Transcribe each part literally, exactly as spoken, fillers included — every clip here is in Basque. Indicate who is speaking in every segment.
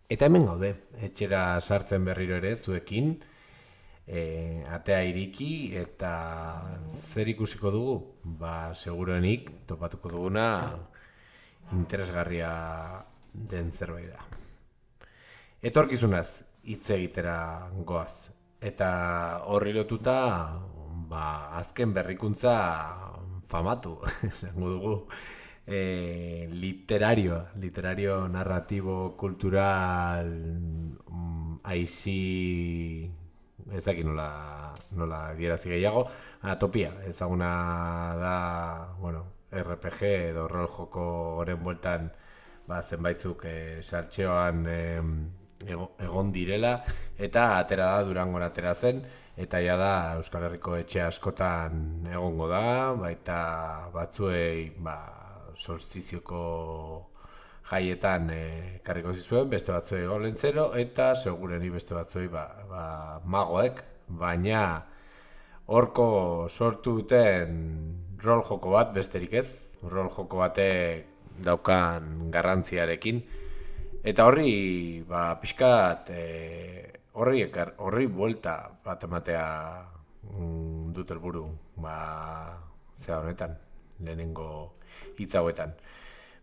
Speaker 1: Eta hemen gaude, etxera sartzen berriro ere zuekin, e, atea iriki eta zer ikusiko dugu? Ba, seguruenik topatuko duguna interesgarria den zerbait da. Etorkizunaz hitz egitera goaz. Eta horri lotuta, ba, azken berrikuntza famatu, esango dugu. E, literario, literario, narratibo, cultural, mm, aizi, ez dakit nola, nola dierazi gehiago, atopia, ezaguna da, bueno, R P G edo rol joko horren bueltan, ba, zenbaitzuk e, sartxeoan e, egon direla, eta atera da Durangora atera zen, eta ja da Euskal Herriko etxe askotan egongo da, baita batzuei, ba, solstizioko jaietan ekarriko eh, zizuen, beste batzuei golentzero, eta segureni beste batzuei ba, ba, magoek, baina horko sortu duten rol joko bat besterik ez, rol joko batek daukan garrantziarekin, eta horri ba, pixkat e, horri, ekar, horri buelta bat ematea mm, dut helburu, ba, zera honetan, lehenengo hitz hauetan.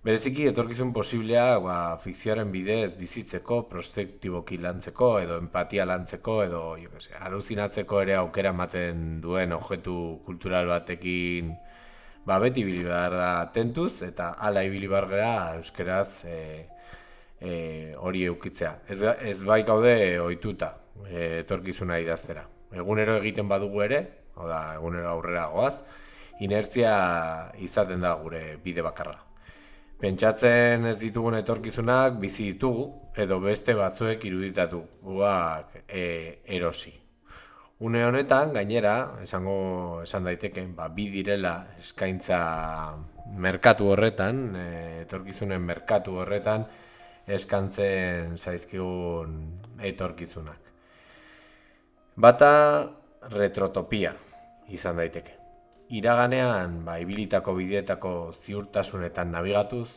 Speaker 1: Bereziki etorkizun posiblea ba, fikzioaren bidez bizitzeko, prospektiboki lantzeko, edo empatia lantzeko, edo jo que se, aluzinatzeko ere aukera ematen duen objektu kultural batekin ba, beti ibili behar da tentuz, eta hala ibili behar gara euskeraz e, e, hori eukitzea. Ez, ez bai gaude ohituta e, etorkizuna idaztera. Egunero egiten badugu ere, hau da, egunero aurrera goaz, inertzia izaten da gure bide bakarra. Pentsatzen ez ditugun etorkizunak bizi ditugu, edo beste batzuek iruditatuak e, erosi. Une honetan, gainera, esango esan daiteke, ba, bi direla eskaintza merkatu horretan, e, etorkizunen merkatu horretan, eskantzen zaizkigun etorkizunak. Bata retrotopia izan daiteke. Iraganean, ba, ibilitako bideetako ziurtasunetan nabigatuz,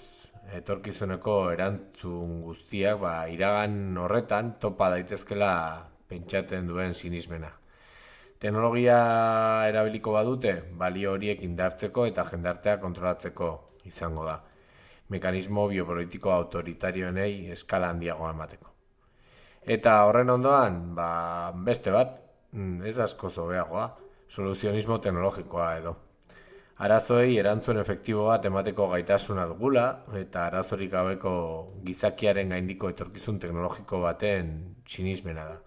Speaker 1: etorkizuneko erantzun guztiak ba, iragan horretan topa daitezkela pentsatzen duen sinismena. Teknologia erabiliko badute, balio horiek indartzeko eta jendartea kontrolatzeko izango da. Mekanismo biopolitiko autoritarioenei eskala handiagoa emateko. Eta horren ondoan, ba, beste bat, ez asko zobeagoa, soluzionismo teknologikoa edo. Arazoei erantzun efektibo bat emateko gaitasuna dugula eta arazorik gabeko gizakiaren gaindiko etorkizun teknologiko baten sinismena da.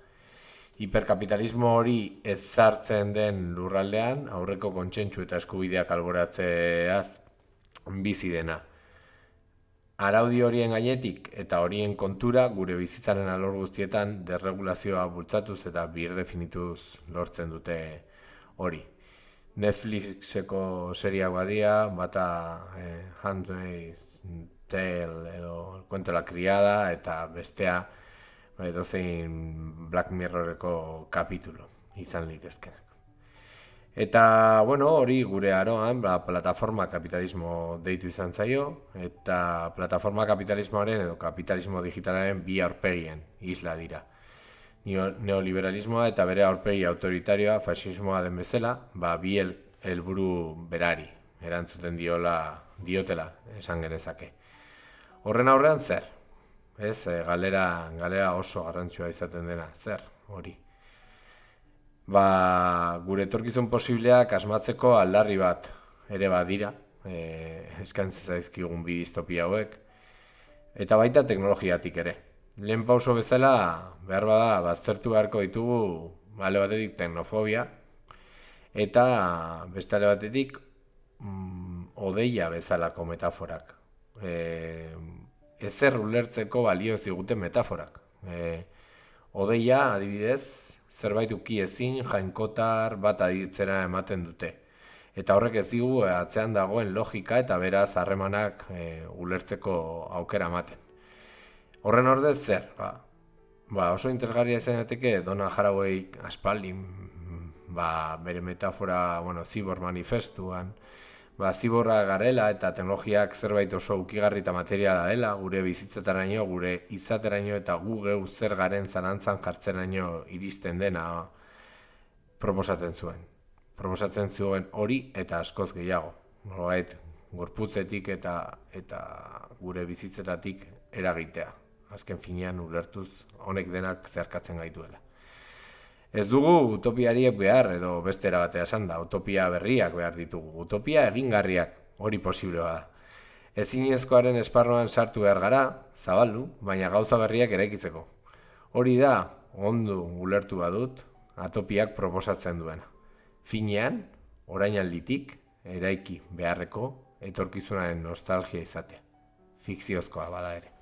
Speaker 1: Hiperkapitalismo hori ezartzen den lurraldean aurreko kontsentsu eta eskubideak alboratzeaz bizi dena. Araudi horien gainetik eta horien kontura gure bizitzaren alor guztietan desregulazioa bultzatuz eta birdefinituz lortzen dute hori. Netflixeko seriak badia, bata eh, Handmaid's Tale edo Cuento la criada, eta bestea edo zein Black Mirroreko kapitulo izan litezkenak. Eta, bueno, hori gure aroan, ba, plataforma kapitalismo deitu izan zaio, eta plataforma kapitalismoaren edo kapitalismo digitalaren bi aurpegien isla dira. Neoliberalismoa eta bere aurpegi autoritarioa fasismoa den bezala, ba, bi helburu berari erantzuten diola, diotela esan genezake. Horren aurrean zer? Ez, galera, galera oso garrantzua izaten dena, zer hori? Ba, gure etorkizun posibleak asmatzeko aldarri bat ere badira, e, eskaintzen zaizkigun bi distopia hauek, eta baita teknologiatik ere. Lehen pauso bezala, behar bada, baztertu beharko ditugu alde batetik teknofobia, eta beste alde batetik mm, odeia bezalako metaforak. E, ezer ulertzeko balio ziguten metaforak. E, odeia, adibidez, zerbait uki ezin, jainkotar bat aditzera ematen dute. Eta horrek ez digu atzean dagoen logika eta beraz harremanak e, ulertzeko aukera ematen. Horren ordez zer? Ba, ba oso interesgarria izan daiteke Donna Haraway aspaldin ba, bere metafora, bueno, Cyborg Manifestuan, ba, ziborra garela eta teknologiak zerbait oso ukigarri eta materiala dela, gure bizitzetaraino, gure izateraino eta gu geu zer garen zalantzan jartzeraino iristen dena proposatzen zuen. Proposatzen zuen hori eta askoz gehiago. Nolabait, gorputzetik eta eta gure bizitzetatik eragitea. Azken finean ulertuz honek denak zeharkatzen gaituela. Ez dugu utopiariek behar, edo beste erabatea esan da, utopia berriak behar ditugu. Utopia egingarriak, hori posible bada. Ezinezkoaren esparruan sartu behar gara, zabaldu, baina gauza berriak eraikitzeko. Hori da, ondo ulertu badut, atopiak proposatzen duena. Finean, orainalditik, eraiki beharreko, etorkizunaren nostalgia izatea. Fikziozkoa bada ere.